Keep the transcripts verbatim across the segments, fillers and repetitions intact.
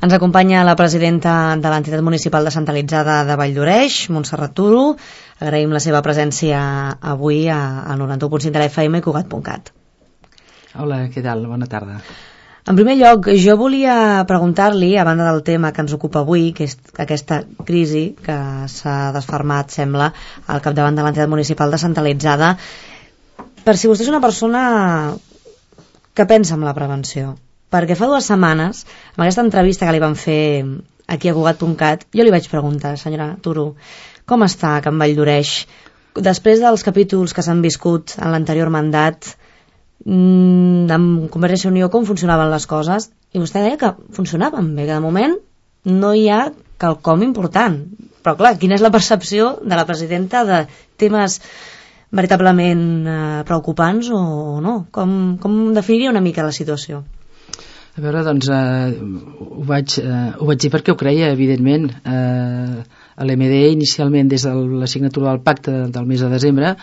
Ens acompanya la presidenta de l'entitat municipal descentralitzada de Valldoreix, Montserrat Turo. Agraïm la seva presència avui al noranta-u punt cinc de la F M i Cugat punt cat. Hola, què tal? Bona tarda. En primer lloc, jo volia preguntar-li, a banda del tema que ens ocupa avui, que és aquesta crisi que s'ha desfermat, sembla, al capdavant de l'entitat municipal descentralitzada, per si vostè és una persona que pensa en la prevenció. Perquè fa dues setmanes, amb aquesta entrevista que li van fer aquí a Cugat punt cat, jo li vaig preguntar, senyora Turo, com està Can Valldoreix? Després dels capítols que s'han viscut en l'anterior mandat, amb Convergència i Unió, com funcionaven les coses? I vostè deia que funcionaven bé, que de moment no hi ha quelcom important. Però clar, quina és la percepció de la presidenta de temes veritablement eh, preocupants o no? Com, com definiria una mica la situació? A veure, doncs, eh, ho, vaig, eh, ho vaig dir perquè ho creia, evidentment. Eh, a l'M D inicialment, des de la signatura del pacte del mes de desembre,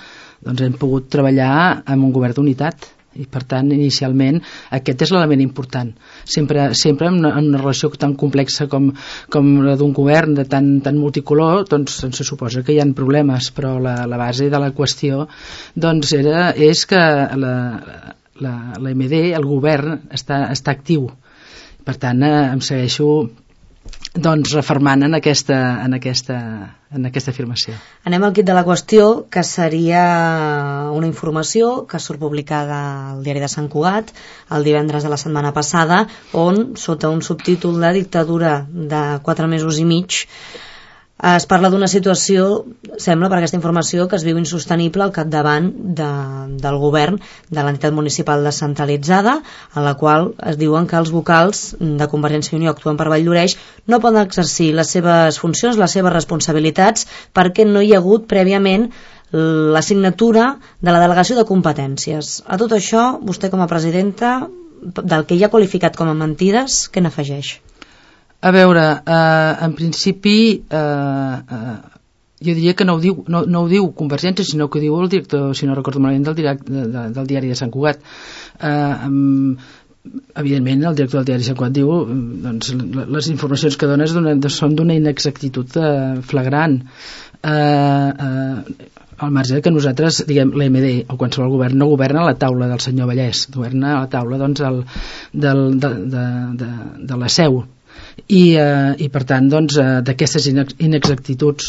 doncs hem pogut treballar amb un govern d'unitat. I per tant, inicialment, aquest és l'element important. Sempre, sempre en, una, en una relació tan complexa com, com la d'un govern de tan, tan multicolor, doncs se suposa que hi ha problemes, però la, la base de la qüestió doncs, era, és que la, la, la M D, el govern, està, està actiu. Per tant, eh, em segueixo doncs refermant en aquesta, en, aquesta, en aquesta afirmació. Anem al quid de la qüestió, que seria una informació que surt publicada al diari de Sant Cugat el divendres de la setmana passada, on, sota un subtítol de dictadura de quatre mesos i mig, es parla d'una situació, sembla per aquesta informació, que es viu insostenible al capdavant de, del govern de l'entitat municipal descentralitzada, en la qual es diuen que els vocals de Convergència i Unió actuen per Valldoreix no poden exercir les seves funcions, les seves responsabilitats, perquè no hi ha hagut prèviament la signatura de la delegació de competències. A tot això, vostè com a presidenta, del que ja ha qualificat com a mentides, què n'afegeix? A veure, eh, en principi eh, eh, jo diria que no ho, diu, no, no ho diu Convergència, sinó que ho diu el director, si no recordo malament, del, direct, de, de, del diari de Sant Cugat. Eh, evidentment el director del diari de Sant Cugat diu doncs, les informacions que dones són d'una inexactitud eh, flagrant. Eh, eh, al marge que nosaltres, diguem, l'M D o qualsevol govern no governa a la taula del senyor Vallès, governa a la taula doncs, el, del, de, de, de, de la seu. I, eh, i per tant doncs, eh, d'aquestes inexactituds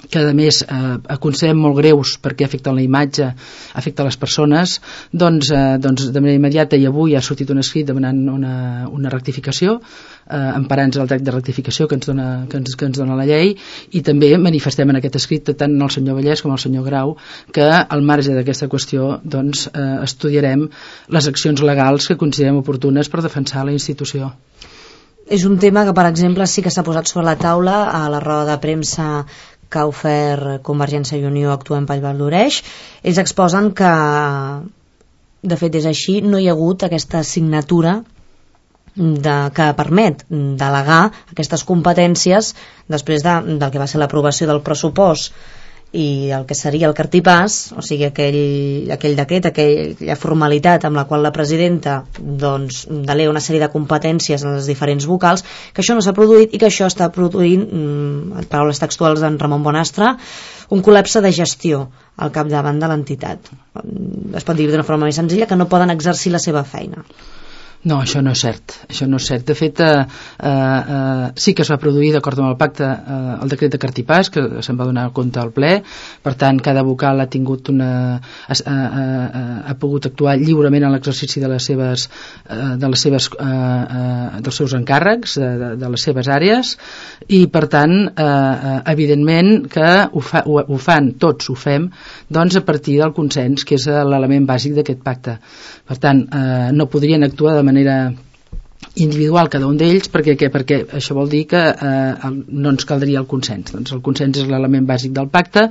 que a més eh, considerem molt greus perquè afecten la imatge, afecten les persones, doncs, eh, doncs de manera immediata i avui ha sortit un escrit demanant una, una rectificació, eh, emparant-nos el dret de rectificació que ens, dona, que, ens, que ens dona la llei, i també manifestem en aquest escrit tant el senyor Vallès com el senyor Grau que al marge d'aquesta qüestió doncs, eh, estudiarem les accions legals que considerem oportunes per defensar la institució. És un tema que, per exemple, sí que s'ha posat sobre la taula a la roda de premsa que ha ofert Convergència i Unió actuant per Valldoreix. Ells exposen que, de fet és així, no hi ha hagut aquesta signatura de, que permet delegar aquestes competències després de, del que va ser l'aprovació del pressupost i el que seria el cartipàs, o sigui aquell, aquell decret, aquella formalitat amb la qual la presidenta doncs, delega una sèrie de competències a les diferents vocals, que això no s'ha produït i que això està produint, en paraules textuals d'en Ramon Bonastre, un col·lapse de gestió al capdavant de l'entitat. Es pot dir d'una forma més senzilla que no poden exercir la seva feina. No, això no és cert. Això no és cert. De fet, eh, eh, sí que es va produir, d'acord amb el pacte, eh, el decret de cartipàs, que se'n va donar compte al ple. Per tant, cada vocal ha tingut una, ha, ha, ha pogut actuar lliurement en l'exercici de les seves, eh, de les seves, eh, eh, dels seus encàrrecs, de, de les seves àrees, i per tant, eh, evidentment que ho, fa, ho, ho fan, tots ho fem, doncs a partir del consens, que és l'element bàsic d'aquest pacte. Per tant, eh, no podrien actuar de manera individual cada un d'ells perquè, perquè això vol dir que eh, no ens caldria el consens. Doncs el consens és l'element bàsic del pacte.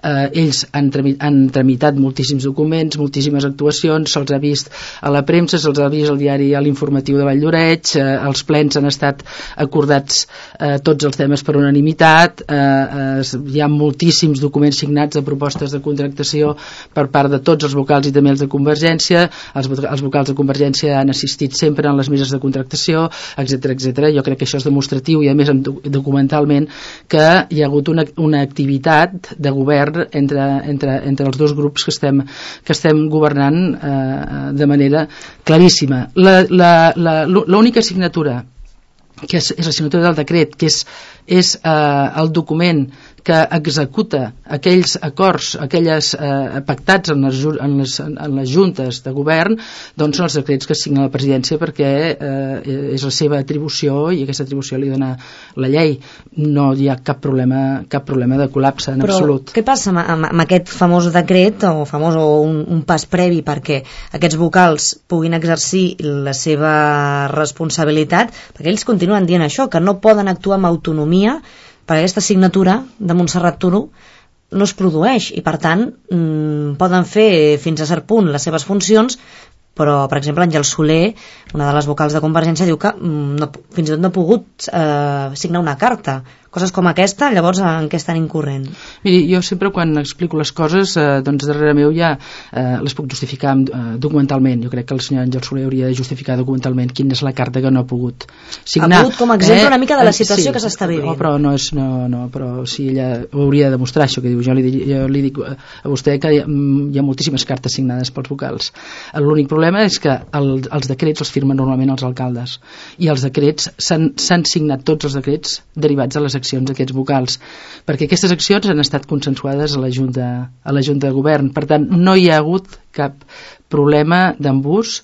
Eh, ells han, tramitat, han tramitat moltíssims documents, moltíssimes actuacions, se'ls ha vist a la premsa, se'ls ha vist al diari a l'informatiu de Valldoreix, eh, els plens han estat acordats eh, tots els temes per unanimitat, eh, eh, hi ha moltíssims documents signats de propostes de contractació per part de tots els vocals i també els de Convergència. Els, els vocals de Convergència han assistit sempre en les meses de contractació contractació, etcètera, etcètera. Jo crec que això és demostratiu i a més documentalment que hi ha hagut una, una activitat de govern entre, entre, entre els dos grups que estem, que estem governant eh, de manera claríssima. La, la, la, l'única signatura que és, és la signatura del decret, que és, és eh, el document que executa aquells acords, aquelles eh, pactats en les, en, les, en les juntes de govern, doncs són els decrets que signa la presidència perquè eh, és la seva atribució i aquesta atribució li dona la llei. No hi ha cap problema, cap problema de col·lapse en Però absolut. Què passa amb, amb, amb aquest famós decret o famós o un, un pas previ perquè aquests vocals puguin exercir la seva responsabilitat? Perquè ells continuen dient això, que no poden actuar amb autonomia perquè aquesta signatura de Montserrat Turo no es produeix i per tant mmm, poden fer fins a cert punt les seves funcions, però per exemple Àngel Soler, una de les vocals de Convergència, diu que mmm, no, fins i tot no ha pogut eh, signar una carta. Coses com aquesta, llavors en què estan incorrent? Miri, jo sempre quan explico les coses eh, doncs darrere meu ja eh, les puc justificar eh, documentalment. Jo crec que el senyor Àngel Soler hauria de justificar documentalment quina és la carta que no ha pogut signar. Ha pogut com a exemple eh, una mica de la situació sí, que s'està vivint. No, però no és, no, no, però si ella ho hauria de demostrar això que diu. Jo li, jo li dic a vostè que hi ha, hi ha moltíssimes cartes signades pels vocals. L'únic problema és que el, els decrets els firmen normalment els alcaldes i els decrets s'han, s'han signat tots els decrets derivats de les accions d'aquests vocals, perquè aquestes accions han estat consensuades a la Junta, a la Junta de Govern. Per tant, no hi ha hagut cap problema d'embús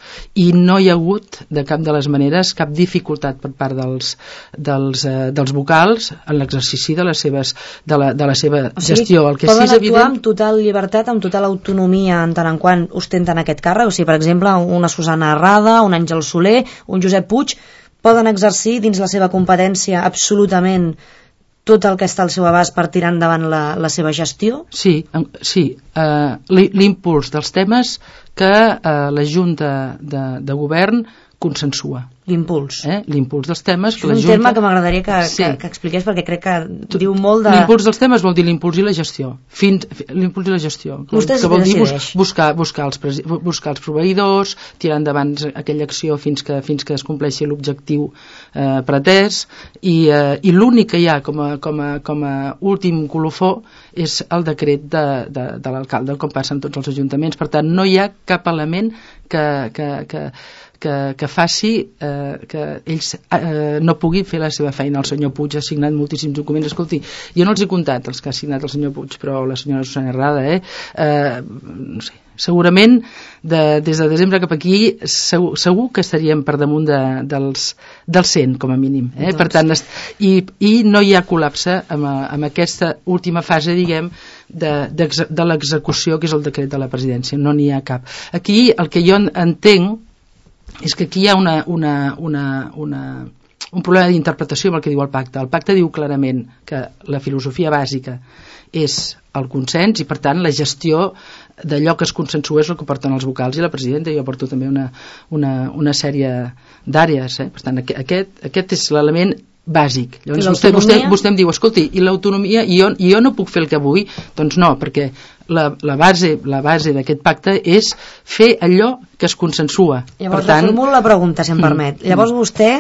i no hi ha hagut de cap de les maneres cap dificultat per part dels, dels, eh, dels vocals en l'exercici de les seves de la, de la seva o sigui, gestió. El que poden sí és actuar evident... amb total llibertat, amb total autonomia en tant en quant ostenten aquest càrrec, o sigui, per exemple, una Susana Arrada, un Àngel Soler, un Josep Puig, poden exercir dins la seva competència absolutament tot el que està al seu abast per tirar endavant la, la seva gestió? Sí, sí. Uh, l'impuls dels temes que uh, la Junta de, de Govern consensua. L'impuls. Eh? L'impuls dels temes... És un Junta... terme que m'agradaria que, sí. que, que expliqués perquè crec que tu, diu molt de... L'impuls dels temes vol dir l'impuls i la gestió. Fins, l'impuls i la gestió. Vostè que vol dir bus, buscar, buscar, els presi, buscar els proveïdors, tirar endavant aquella acció fins que, fins que es compleixi l'objectiu eh, pretès i, eh, i l'únic que hi ha com a, com a, com a últim colofó és el decret de, de, de l'alcalde, com passa en tots els ajuntaments. Per tant, no hi ha cap element que... que, que Que, que faci eh, que ells eh, no puguin fer la seva feina. El senyor Puig ha signat moltíssims documents. Escolti, jo no els he comptat els que ha signat el senyor Puig, però la senyora Susana Arrada eh, eh, no sé, segurament de, des de desembre cap aquí segur, segur que estaríem per damunt de, dels, dels cent com a mínim eh? Doncs. Per tant, i, i no hi ha col·lapse amb, amb aquesta última fase, diguem, de, de, de l'execució, que és el decret de la presidència. No n'hi ha cap. Aquí el que jo entenc és que aquí hi ha una, una, una, una, un problema d'interpretació amb el que diu el pacte. El pacte diu clarament que la filosofia bàsica és el consens i per tant la gestió d'allò que es consensua és el que porten els vocals i la presidenta. Jo porto també una, una, una sèrie d'àrees eh? Per tant aquest, aquest és l'element bàsic. Llavors vostè, vostè, vostè em diu, escolti, i l'autonomia, i jo, i jo no puc fer el que vull? Doncs no, perquè la, la base, la base d'aquest pacte és fer allò que es consensua. Llavors, per tant, formulo la pregunta, si em permet. Mm, Llavors vostè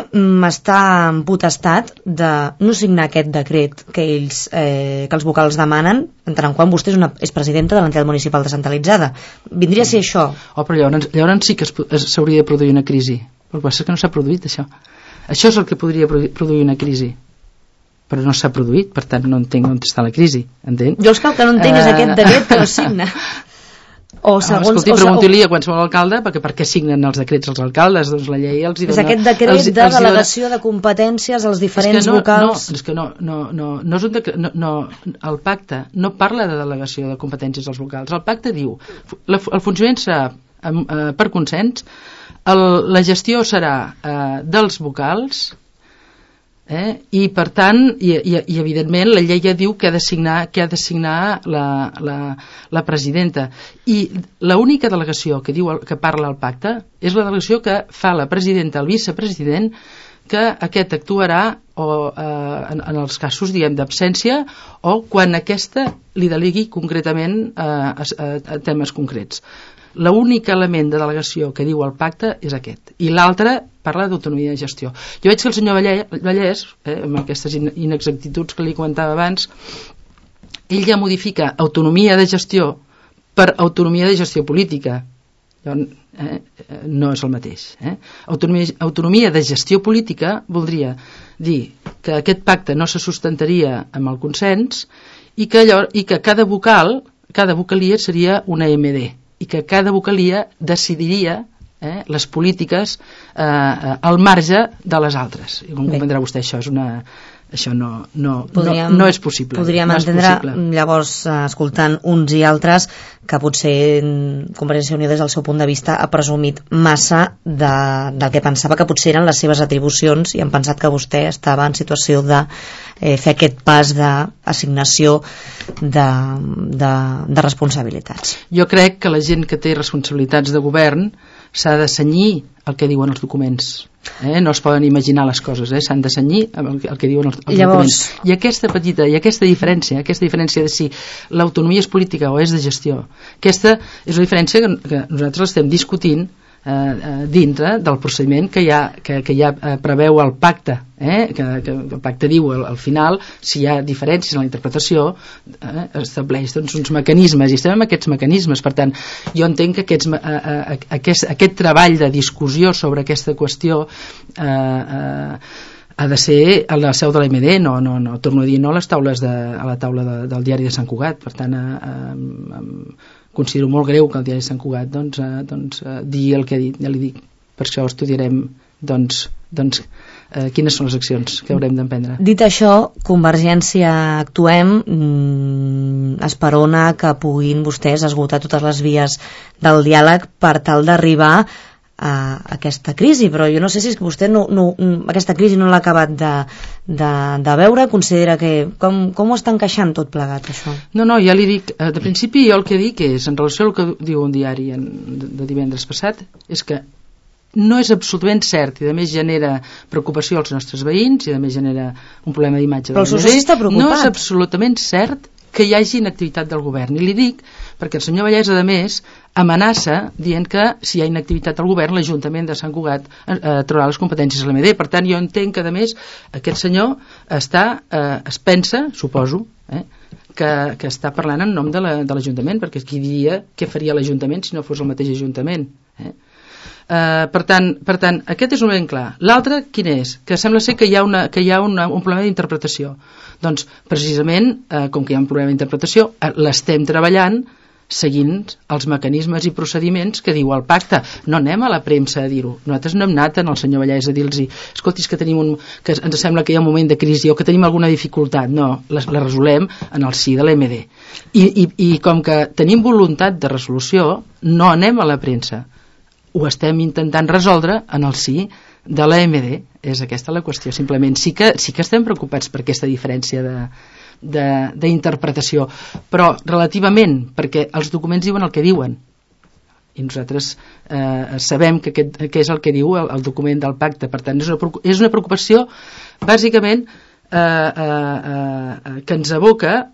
està en potestat de no signar aquest decret que ells, eh, que els vocals demanen, en tant en quant vostè és, una, és presidenta de l'entitat municipal descentralitzada. Vindria a ser això? Oh, però llavors, llavors sí que s'hauria de produir una crisi. El que passa és que no s'ha produït això. Això és el que podria produir una crisi, però no s'ha produït, per tant no entenc on està la crisi, entén? Jo el que no entenc uh... és aquest decret que no signa. O segons, escolti, o, pregunti-li a qualsevol alcalde perquè per què signen els decrets els alcaldes, doncs la llei els hi dona... És aquest decret els, de els delegació dona... de competències als diferents no, vocals... No, és que no, no, no, no és un decret, no, no, el pacte no parla de delegació de competències als vocals, el pacte diu la, el funcionament serà eh, per consens, el, la gestió serà eh, dels vocals eh, i per tant i, i, i evidentment la llei ja diu que ha de signar, que ha de signar la, la, la presidenta i l'única delegació que, diu, que parla al pacte és la delegació que fa la presidenta al vicepresident, que aquest actuarà o, eh, en, en els casos diguem d'absència o quan aquesta li delegui concretament eh, a, a, a temes concrets. l'únic element de delegació que diu el pacte és aquest, i l'altre parla d'autonomia de gestió. Jo veig que el senyor Vallès, eh, amb aquestes inexactituds que li comentava abans, ell ja modifica autonomia de gestió per autonomia de gestió política. Eh, no és el mateix. Eh? Autonomia, autonomia de gestió política voldria dir que aquest pacte no se sustentaria amb el consens i que, allò, i que cada vocal, cada vocalia seria una M D i que cada vocalia decidiria eh, les polítiques eh, al marge de les altres. I com comprendrà vostè, això és una... això no, no, podríem, no, no és possible. Podríem no entendre, possible. Llavors, escoltant uns i altres, que potser Convergència i Unió des del seu punt de vista ha presumit massa de, del que pensava que potser eren les seves atribucions i han pensat que vostè estava en situació de eh, fer aquest pas d'assignació de, de, de responsabilitats. Jo crec que la gent que té responsabilitats de govern s'ha de cenyir el que diuen els documents. Eh? No es poden imaginar les coses, eh? S'han de cenyir el, el que diuen els, els Llavors... documents. I aquesta petita, i aquesta diferència, aquesta diferència de si l'autonomia és política o és de gestió, aquesta és una diferència que, que nosaltres estem discutint eh, dintre del procediment que ja, que, que ja eh, preveu el pacte, eh? que, que el pacte diu al, al final, si hi ha diferències en la interpretació, eh, estableix doncs, uns mecanismes, i estem amb aquests mecanismes. Per tant, jo entenc que aquests, eh, eh, aquest, aquest treball de discussió sobre aquesta qüestió eh, eh, ha de ser a la seu de l'A M D, no, no, no, torno a dir, no a les taules de, a la taula de, del diari de Sant Cugat. Per tant, eh, eh, considero molt greu que el diari de Sant Cugat doncs, eh, doncs, eh, digui el que ha dit, ja li dic. Per això estudiarem doncs, doncs, eh, quines són les accions que haurem d'emprendre. Dit això, Convergència actuem, mm, esperona que puguin vostès esgotar totes les vies del diàleg per tal d'arribar a aquesta crisi, però jo no sé si és que vostè no, no, aquesta crisi no l'ha acabat de, de, de veure, considera que com, com ho està encaixant tot plegat això? No, no, ja li dic, de principi jo el que dic és, en relació al que diu un diari en, de divendres passat, és que no és absolutament cert i a més genera preocupació als nostres veïns i a més genera un problema d'imatge. Però el seu soci està preocupat. No és absolutament cert que hi hagi inactivitat del govern, i li dic perquè el senyor Vallès, a més, amenaça dient que si hi ha inactivitat al govern l'Ajuntament de Sant Cugat eh, traurà les competències a l'A M D. Per tant, jo entenc que, a més, aquest senyor està, eh, es pensa, suposo, eh, que, que està parlant en nom de l'Ajuntament, perquè qui diria què faria l'Ajuntament si no fos el mateix Ajuntament. Eh? Uh, per tant, per tant, aquest és un ben clar. L'altre, quin és? Que sembla ser que hi ha, una, que hi ha una, un problema d'interpretació. Doncs, precisament, uh, com que hi ha un problema d'interpretació, uh, l'estem treballant seguint els mecanismes i procediments que diu el pacte. No anem a la premsa a dir-ho. Nosaltres no hem anat en el senyor Vallès a dir-los escolti, és que, tenim un, que ens sembla que hi ha un moment de crisi o que tenim alguna dificultat. No, la, la resolem en el si de l'A M D. I, i, I com que tenim voluntat de resolució, no anem a la premsa. Ho estem intentant resoldre en el si de l'A M D. És aquesta la qüestió. Simplement sí que, sí que estem preocupats per aquesta diferència de, de, d'interpretació, però relativament, perquè els documents diuen el que diuen i nosaltres eh, sabem que, aquest, que és el que diu el, el document del pacte. Per tant, és una, és una preocupació bàsicament eh, eh, eh, que ens aboca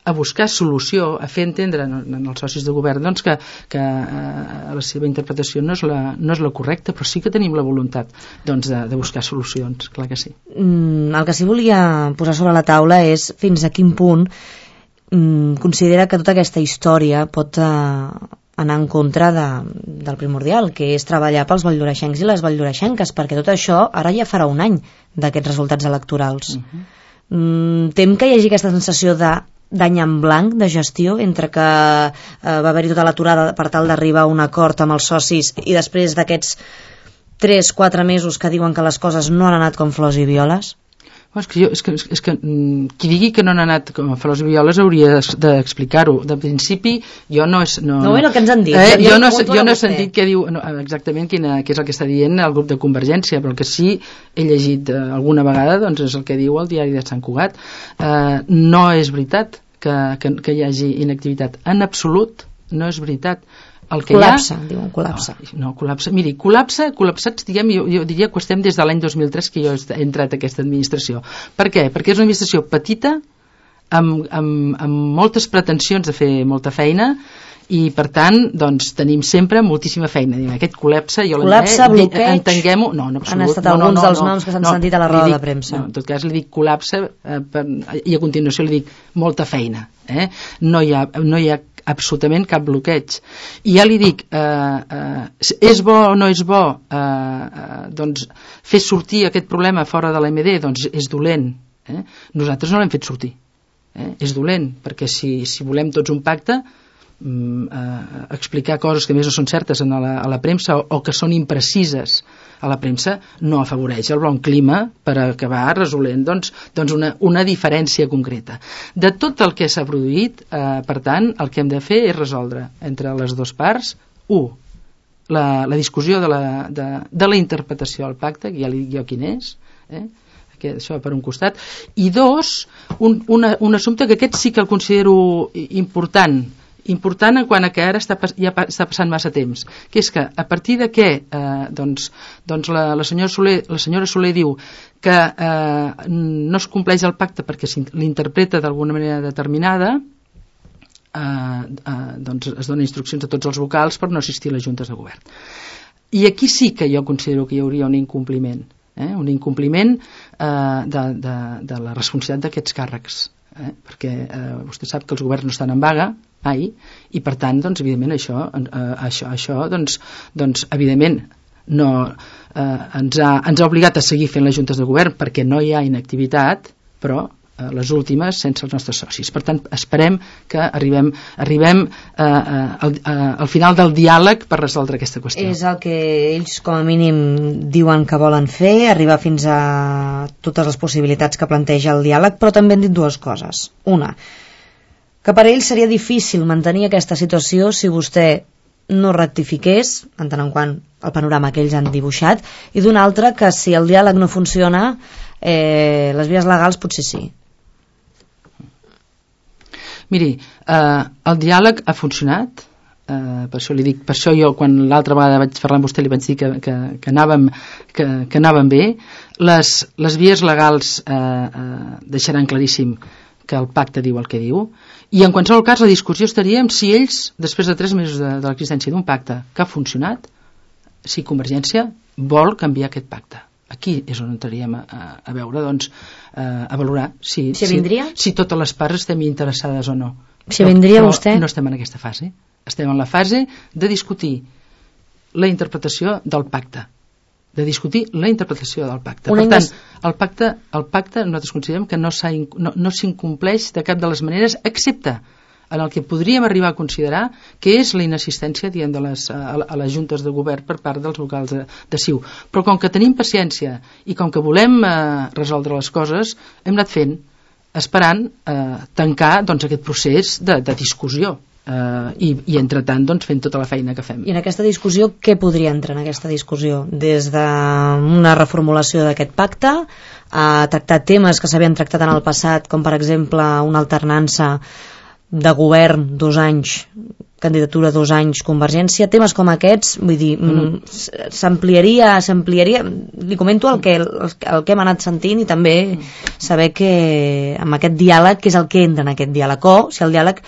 a buscar solució, a fer entendre en els socis de govern doncs, que, que eh, la seva interpretació no és la, no és la correcta, però sí que tenim la voluntat doncs, de, de buscar solucions, clar que sí. Mm, el que sí volia posar sobre la taula és fins a quin punt mm, considera que tota aquesta història pot eh, anar en contra de, del primordial, que és treballar pels valldoreixencs i les valldoreixenques, perquè tot això ara ja farà un any d'aquests resultats electorals. Uh-huh. mm, tem que hi hagi aquesta sensació de d'any en blanc de gestió entre que eh, va haver-hi tota l'aturada per tal d'arribar a un acord amb els socis i després d'aquests tres quatre mesos que diuen que les coses no han anat com flors i violes? És que, jo, és que, és que qui digui que no han anat com a flors i violes hauria d'explicar-ho. De principi jo no és, no, no, no, que ens han dit, eh, jo, no, jo no he sentit què diu no, exactament quina, què és el que està dient el grup de Convergència, però el que sí he llegit eh, alguna vegada doncs és el que diu el diari de Sant Cugat. eh, no és veritat que, que, que hi hagi inactivitat en absolut, no és veritat. El que col·lapse, ha... diuen col·lapse. No, no, col·lapse. Miri, col·lapse, col·lapsats, diguem, jo, jo diria que ho estem des de l'any dos mil tres que jo he entrat a aquesta administració. Per què? Perquè és una administració petita, amb, amb, amb moltes pretensions de fer molta feina i per tant doncs, tenim sempre moltíssima feina. Aquest col·lapse, jo col·lapse, eh, bloqueig, entenguem-ho, no, no, han estat alguns no, no, dels noms que s'han no, sentit a la roda dic, de premsa. No, en tot cas li dic col·lapse eh, per, i a continuació li dic molta feina. Eh? No, hi ha, no hi ha absolutament cap bloqueig. I ja li dic, eh, eh, és bo o no és bo eh, eh, doncs fer sortir aquest problema fora de l'A M D, doncs és dolent. Eh? Nosaltres no l'hem fet sortir. Eh? És dolent, perquè si, si volem tots un pacte, mm, eh, explicar coses que més no són certes a la, a la premsa o, o que són imprecises a la premsa no afavoreix el bon clima per acabar resolent doncs, doncs una, una diferència concreta. De tot el que s'ha produït, eh, per tant, el que hem de fer és resoldre entre les dues parts, u, la, la discussió de la, de, de la interpretació del pacte, que ja li dic jo quin és, eh? que això per un costat, i dos, un, una, un assumpte que aquest sí que el considero important, important en quant a que ara està, ja està passant massa temps, que és que a partir de què eh, doncs, doncs la, la, senyora Soler, la senyora Soler diu que eh, no es compleix el pacte perquè l'interpreta d'alguna manera determinada, eh, eh, doncs es donen instruccions a tots els vocals per no assistir a les juntes de govern. I aquí sí que jo considero que hi hauria un incompliment, eh, un incompliment eh, de, de, de la responsabilitat d'aquests càrrecs. Eh, perquè eh, vostè sap que els governs no estan en vaga mai, i per tant doncs, evidentment això, eh, això, això doncs, doncs evidentment no, eh, ens, ha, ens ha obligat a seguir fent les juntes de govern perquè no hi ha inactivitat, però eh, les últimes sense els nostres socis. Per tant, esperem que arribem, arribem eh, al, al final del diàleg per resoldre aquesta qüestió. És el que ells com a mínim diuen que volen fer, arribar fins a totes les possibilitats que planteja el diàleg, però també han dit dues coses. Una, que per a ells seria difícil mantenir aquesta situació si vostè no rectifiqués, en tant en quant el panorama que ells han dibuixat, i d'una altra, que si el diàleg no funciona, eh, les vies legals potser sí. Miri, eh, el diàleg ha funcionat, eh, per això li dic, per això jo quan l'altra vegada vaig parlar amb vostè li vaig dir que, que, que, anàvem, que, que anàvem bé. Les, les vies legals eh, eh, deixaran claríssim que el pacte diu el que diu, i en qualsevol cas la discussió estaria en si ells, després de tres mesos de, de l'existència d'un pacte que ha funcionat, si Convergència vol canviar aquest pacte. Aquí és on entraríem a, a veure, doncs, a valorar si, si, si, si totes les parts estem interessades o no. Si vindria però, vostè? Però no estem en aquesta fase. Estem en la fase de discutir la interpretació del pacte, de discutir la interpretació del pacte. Una per tant, indes... el pacte, el pacte nosaltres considerem que no, no, no s'incompleix de cap de les maneres, excepte en el que podríem arribar a considerar que és la inassistència diguem, de les, a, a les juntes de govern per part dels vocals de, de C I U. Però com que tenim paciència i com que volem eh, resoldre les coses, hem anat fent, esperant eh, tancar doncs, aquest procés de, de discussió. Uh, i, i entretant doncs, fent tota la feina que fem. I en aquesta discussió, què podria entrar en aquesta discussió? Des d'una reformulació d'aquest pacte a tractar temes que s'havien tractat en el passat, com per exemple una alternança de govern dos anys, candidatura dos anys Convergència, temes com aquests, vull dir, mm. s'ampliaria, s'ampliaria, li comento el que, el, el que hem anat sentint i també saber que amb aquest diàleg, què és el que entra en aquest diàleg, o si el diàleg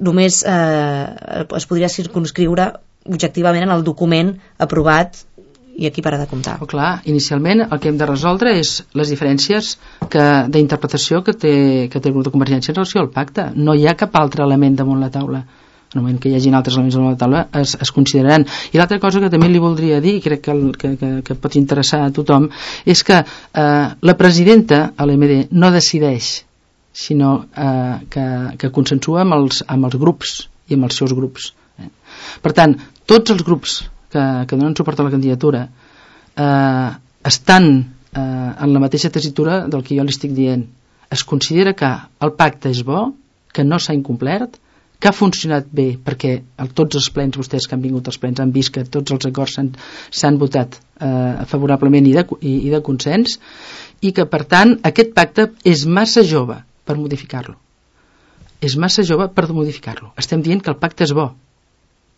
només eh, es podria circumscriure objectivament en el document aprovat i aquí para de comptar. Oh, clar, inicialment el que hem de resoldre és les diferències d'interpretació que té, que té el grup de Convergència en relació al pacte. No hi ha cap altre element damunt la taula. En el moment que hi hagin altres elements damunt la taula es, es consideraran. I l'altra cosa que també li voldria dir, i crec que, el, que, que, que pot interessar a tothom, és que eh, la presidenta a l'A M D no decideix, sinó eh, que, que consensua amb els, amb els grups i amb els seus grups. Eh. Per tant, tots els grups que, que donen suport a la candidatura eh, estan eh, en la mateixa tessitura del que jo li estic dient. Es considera que el pacte és bo, que no s'ha incomplert, que ha funcionat bé perquè el, tots els plens, vostès que han vingut als plens han vist que tots els acords s'han votat eh, favorablement i de, i, i de consens, i que per tant aquest pacte és massa jove per modificar-lo. És massa jove per modificar-lo. Estem dient que el pacte és bo.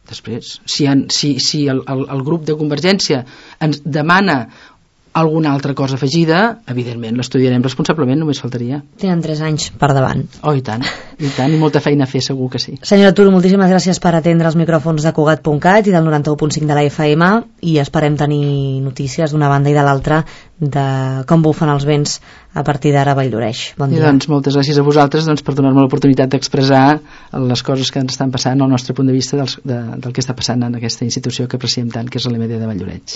Després, si, han, si, si el, el, el grup de Convergència ens demana alguna altra cosa afegida, evidentment l'estudiarem responsablement, només faltaria. Tenen tres anys per davant. Oh, i tant, i tant, i molta feina a fer, segur que sí. Senyora Turo, moltíssimes gràcies per atendre els micròfons de Cugat punt cat i del noranta-u punt cinc de la F M, i esperem tenir notícies d'una banda i de l'altra de com bufen els vents a partir d'ara a Valldoreix. Bon dia. I doncs moltes gràcies a vosaltres doncs, per donar-me l'oportunitat d'expressar les coses que ens estan passant al nostre punt de vista dels, de, del que està passant en aquesta institució que apreciem tant, que és l'E M D de Valldoreix.